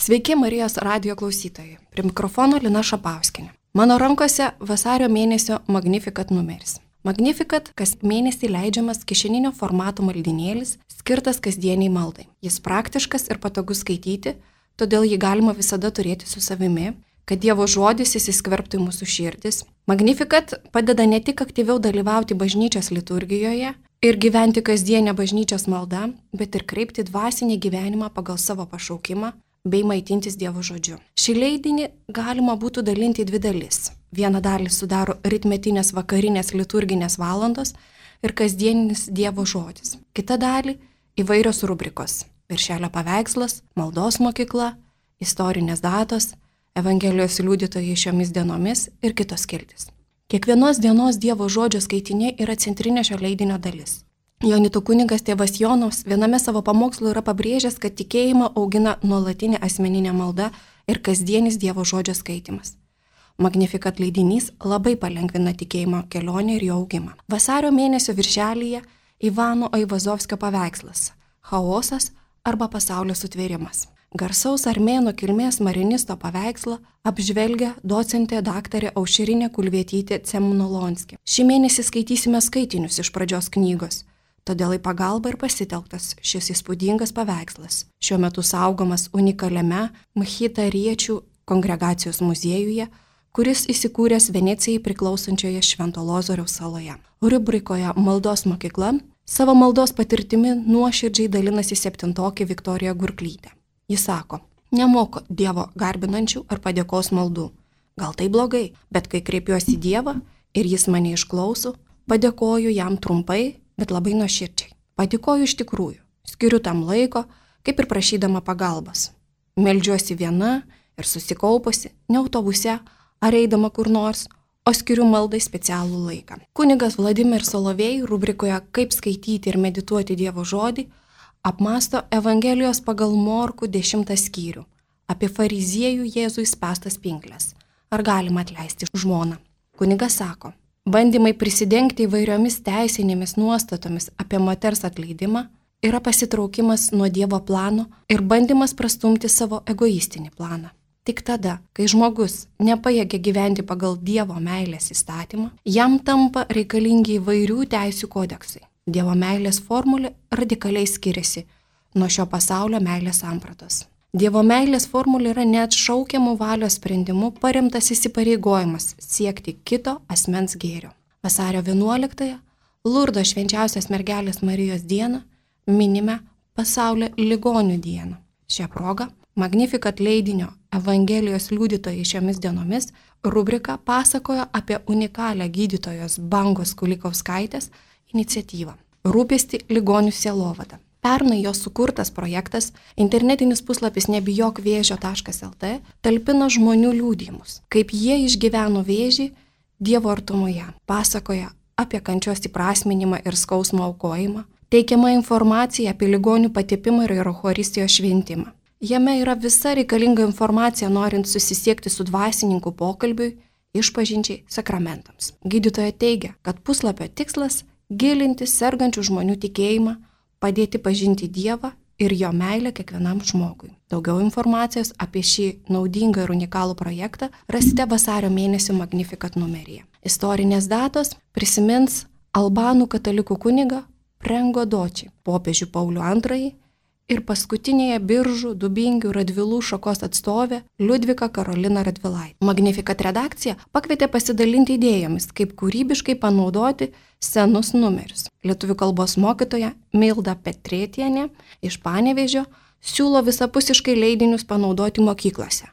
Sveiki Marijos radijo klausytojai. Prie mikrofono Lina Šapauskienė. Mano rankose vasario mėnesio Magnificat numeris. Magnificat kas mėnesį leidžiamas kišeninio formato maldynėlis, skirtas kasdieniai maldai. Jis praktiškas ir patogus skaityti, todėl jį galima visada turėti su savimi, kad Dievo žodis įsiskverbtų į mūsų širdis. Magnificat padeda ne tik aktyviau dalyvauti bažnyčios liturgijoje ir gyventi kasdienę bažnyčios maldą, bet ir kreipti dvasinį gyvenimą pagal savo pašaukimą bei maitintis Dievo žodžiu. Šį leidinį galima būtų dalinti į dvi dalis. Vieną dalį sudaro ritmetinės vakarinės liturginės valandos ir kasdieninis Dievo žodis. Kita dalį įvairios rubrikos – viršelio paveikslas, maldos mokykla, istorinės datos, Evangelijos liudytojai šiomis dienomis ir kitos skiltys. Kiekvienos dienos Dievo žodžio skaitiniai yra centrinė šio leidinio dalis. Jonitų kunigas tėvas Jonas viename savo pamokslo yra pabrėžęs, kad tikėjimą augina nuolatinė asmeninė malda ir kasdienis Dievo žodžio skaitimas. Magnificat leidinys labai palengvina tikėjimo kelionę ir jo augimą. Vasario mėnesio viršelyje Ivano Aivazovskio paveikslas – chaosas arba pasaulio sutvėrimas. Garsaus armėnų kilmės marinisto paveikslą apžvelgia docentė daktarė Aušrinė Kulvietytė Cemnolonskė. Šį mėnesį skaitysime skaitinius iš pradžios knygos, todėl į pagalbą ir pasitelktas šis įspūdingas paveikslas. Šiuo metu saugomas unikaliame Mchitariečių kongregacijos muziejuje, kuris įsikūręs Venecijai priklausančioje Švento Lozoriaus saloje. Rubrikoje Maldos mokykla savo maldos patirtimi nuoširdžiai dalinasi septintokė Viktorija Gurklytė. Jis sako, nemoku Dievo garbinančių ar padėkos maldų. Gal tai blogai, bet kai kreipiuosi į Dievą ir jis mane išklauso, padėkoju jam trumpai, bet labai nuoširdžiai. Padėkoju iš tikrųjų, skiriu tam laiko, kaip ir prašydama pagalbos. Meldžiuosi viena ir susikaupusi, ne autobuse ar eidama kur nors, o skiriu maldai specialų laiką. Kunigas Vladimir Solovej rubrikoje Kaip skaityti ir medituoti Dievo žodį apmąsto Evangelijos pagal Morkų 10 skyrių apie fariziejų Jėzui spęstas pinkles. Ar galima atleisti žmoną? Kunigas sako, bandymai prisidengti įvairiomis teisinėmis nuostatomis apie moters atleidimą yra pasitraukimas nuo Dievo plano ir bandymas prastumti savo egoistinį planą. Tik tada, kai žmogus nepajėgia gyventi pagal Dievo meilės įstatymą, jam tampa reikalingi įvairių teisių kodeksai. Dievo meilės formulė radikaliai skiriasi nuo šio pasaulio meilės sampratos. Dievo meilės formulė yra neatšaukiamų valios sprendimų paremtas įsipareigojimas siekti kito asmens gėrio. Vasario 11-ąją, Lurdo švenčiausios mergelės Marijos dieną, minime pasaulio ligonių dieną. Šią progą Magnificat leidinio Evangelijos liudytojai šiomis dienomis rubrika pasakojo apie unikalią gydytojos Bangos Kulikauskaitės iniciatyvą – rūpestį ligonių sielovada. Pernai jos sukurtas projektas, internetinis puslapis nebijokvėžio.lt, talpina žmonių liudijimus, kaip jie išgyveno vėžį Dievo artumoje, pasakoja apie kančios įprasminimą ir skausmo aukojimą, teikiama informacija apie ligonių patepimą ir eucharistijos šventimą. Jame yra visa reikalinga informacija, norint susisiekti su dvasininku pokalbiui, išpažinčiai, sakramentams. Gydytoja teigia, kad puslapio tikslas – gilinti sergančių žmonių tikėjimą, padėti pažinti Dievą ir jo meilę kiekvienam žmogui. Daugiau informacijos apie šį naudingą ir unikalų projektą rasite vasario mėnesio Magnificat numeryje. Istorinės datos prisimins albanų katalikų kunigą Prengo Doči, popiežių Paulių II ir paskutinėje Biržų, Dubingių, Radvilų šakos atstovė Liudvika Karolina Radvilaitė. Magnificat redakcija pakvietė pasidalinti idėjomis, kaip kūrybiškai panaudoti senus numerius. Lietuvių kalbos mokytoja Milda Petrėtienė iš Panevėžio siūlo visapusiškai leidinius panaudoti mokyklose.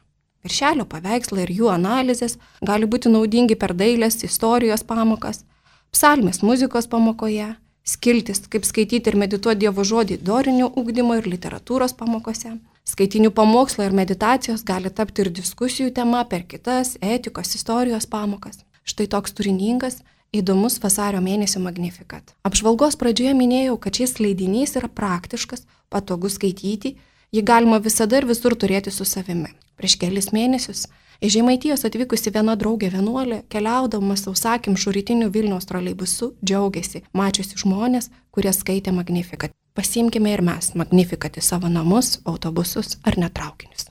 Viršelio paveikslai ir jų analizės gali būti naudingi per dailės, istorijos pamokas, psalmės muzikos pamokoje, skiltis, kaip skaityti ir medituoti Dievo žodį dorinio ugdymo ir literatūros pamokose. Skaitinių pamokslai ir meditacijos gali tapti ir diskusijų tema per kitas etikos, istorijos pamokas. Štai toks turiningas, įdomus vasario mėnesio Magnificat. Apžvalgos pradžioje minėjau, kad šis leidinys yra praktiškas, patogus skaityti, jį galima visada ir visur turėti su savimi. Prieš kelis mėnesius iš Žemaitijos atvykusi viena draugė vienuolė, keliaudama sausakimšu rytiniu Vilniaus troleibusu, džiaugiasi, mačiusi žmonės, kurie skaitė Magnificat. Pasiimkime ir mes Magnificat į savo namus, autobusus ar net traukinius.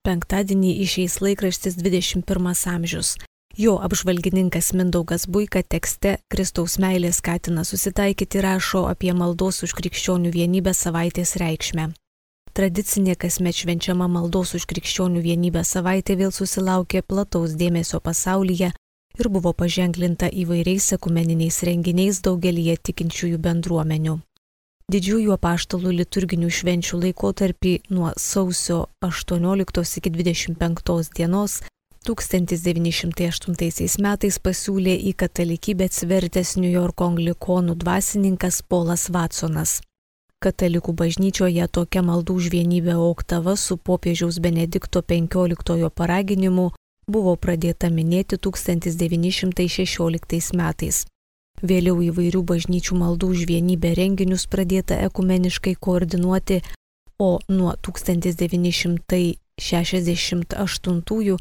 Penktadienį išeis laikraštis 21 amžius. Jo apžvalgininkas Mindaugas Buika tekste Kristaus meilė skatina susitaikyti rašo apie maldos už krikščionių vienybę savaitės reikšmę. Tradicinė kasmet švenčiama maldos už krikščionių vienybę savaitė vėl susilaukė plataus dėmesio pasaulyje ir buvo paženklinta įvairiais ekumeniniais renginiais daugelyje tikinčiųjų bendruomenių. Didžiųjų apaštalų liturginių švenčių laikotarpį nuo sausio 18 iki 25 dienos 1908 metais pasiūlė į katalikybę atsivertęs Niujorko anglikonų dvasininkas Polas Vatsonas. Katalikų bažnyčioje tokia maldų už vienybę oktava su popiežiaus Benedikto XV paraginimu buvo pradėta minėti 1916 metais. Vėliau įvairių bažnyčių maldų už vienybę renginius pradėta ekumeniškai koordinuoti, o nuo 1968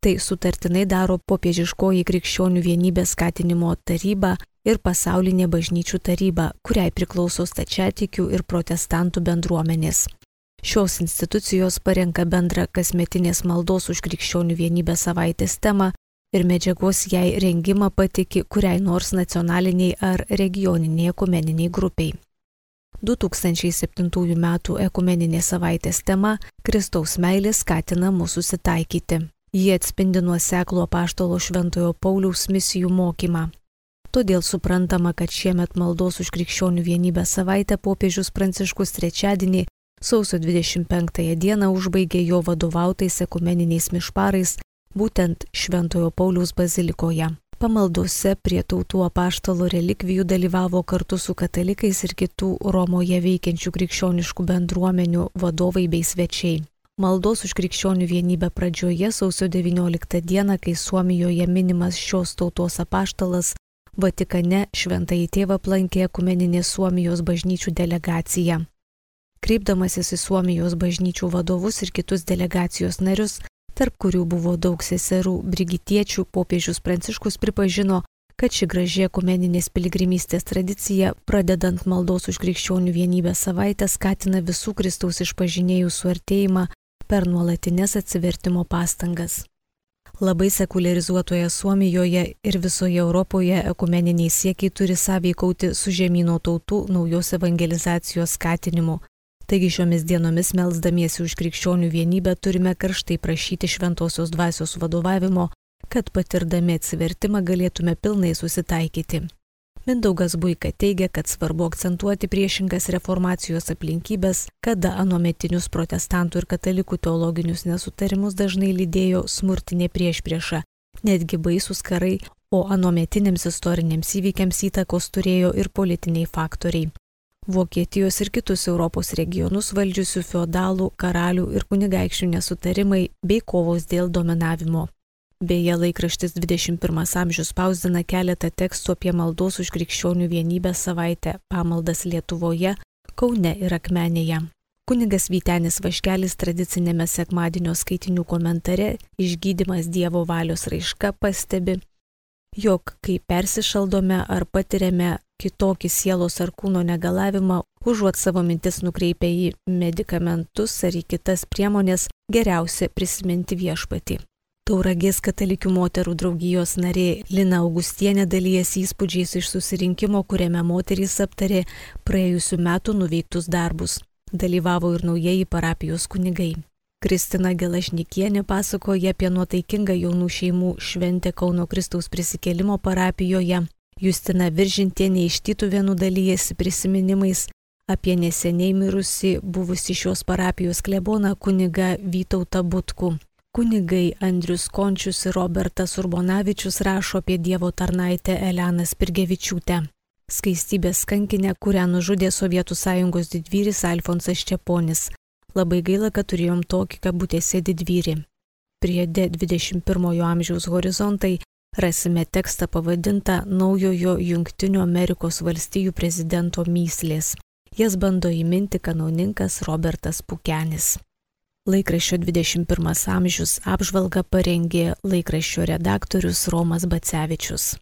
tai sutartinai daro popiežiškoji krikščionių vienybės skatinimo taryba ir pasaulinė bažnyčių taryba, kuriai priklauso stačiatikių ir protestantų bendruomenės. Šios institucijos parenka bendrą kasmetinės maldos už krikščionių vienybę savaitės temą ir medžiagos jai rengimą patiki kuriai nors nacionaliniai ar regioniniai ekumeniniai grupiai. 2007 m. ekumeninė savaitės tema Kristaus meilė skatina mus susitaikyti. Ji atspindi nuoseklų apaštalo Šventojo Pauliaus misijų mokymą. Todėl suprantama, kad šiemet maldos už krikščionių vienybę savaitę popiežius Pranciškus trečiadienį, sausio 25 dieną užbaigė jo vadovautais ekumeniniais mišparais, būtent Šventojo Pauliaus bazilikoje. Pamaldose prie tautų apaštalo relikvijų dalyvavo kartu su katalikais ir kitų Romoje veikiančių krikščioniškų bendruomenių vadovai bei svečiai. Maldos už krikščionių vienybę pradžioje sausio 19 dieną, kai Suomijoje minimas šios tautos apaštalas, Vatikane Šventąjį tėvą aplankė ekumeninė Suomijos bažnyčių delegacija. Kreipdamasis į Suomijos bažnyčių vadovus ir kitus delegacijos narius, tarp kurių buvo daug seserų brigitiečių, popiežius Pranciškus pripažino, kad ši graži ekumeninės piligrimystės tradicija, pradedant maldos už krikščionių vienybę savaitę, skatina visų Kristaus išpažinėjų suartėjimą per nuolatinės atsivertimo pastangas. Labai sekularizuotoje Suomijoje ir visoje Europoje ekumeniniai siekiai turi sąveikauti su žemyno tautų naujos evangelizacijos skatinimu. Taigi šiomis dienomis melsdamiesi už krikščionių vienybę turime karštai prašyti šventosios dvasios vadovavimo, kad patirdami atsivertimą galėtume pilnai susitaikyti. Mindaugas Buika teigia, kad svarbu akcentuoti priešingas reformacijos aplinkybės, kada anuometinius protestantų ir katalikų teologinius nesutarimus dažnai lydėjo smurtinė priešprieša, netgi baisūs karai, o anuometiniams istoriniams įvykiams įtakos turėjo ir politiniai faktoriai. Vokietijos ir kitus Europos regionus valdžiusių feodalų, karalių ir kunigaikščių nesutarimai bei kovos dėl dominavimo. Beje, laikraštis 21 amžius spausdina keletą tekstų apie maldos už krikščionių vienybę savaitę pamaldas Lietuvoje, Kaune ir Akmenėje. Kunigas Vytenis Vaškelis tradicinėme sekmadienio skaitinių komentare Išgydymas Dievo valios raiška pastebi, jog kai persišaldome ar patiriame kitokį sielos ar kūno negalavimą, užuot savo mintis nukreipę į medikamentus ar į kitas priemonės, geriausia prisiminti Viešpatį. Tauragės katalikių moterų draugijos narė Lina Augustienė dalijasi įspūdžiais iš susirinkimo, kuriame moterys aptarė praėjusių metų nuveiktus darbus. Dalyvavo ir naujieji parapijos kunigai. Kristina Gelažnikienė pasakoja apie nuotaikingą jaunų šeimų šventę Kauno Kristaus prisikėlimo parapijoje. Justina Viržintienė iš Tytuvėnų dalijasi prisiminimais apie neseniai mirusi buvusi šios parapijos kleboną kunigą Vytautą Butkų. Kunigai Andrius Končius ir Robertas Urbonavičius rašo apie Dievo tarnaitę Eleną Spirgevičiūtę. Skaistybės kankinę, kurią nužudė Sovietų Sąjungos didvyris Alfonsas Čeponis. Labai gaila, kad turėjom tokį kabutėse didvyrį. Priede 21 amžiaus horizontai rasime tekstą pavadintą Naujojo Jungtinių Amerikos valstijų prezidento mįslės. Jas bando įminti kanauninkas Robertas Pukenis. Laikraščio 21 amžius apžvalgą parengė laikraščio redaktorius Romas Bacevičius.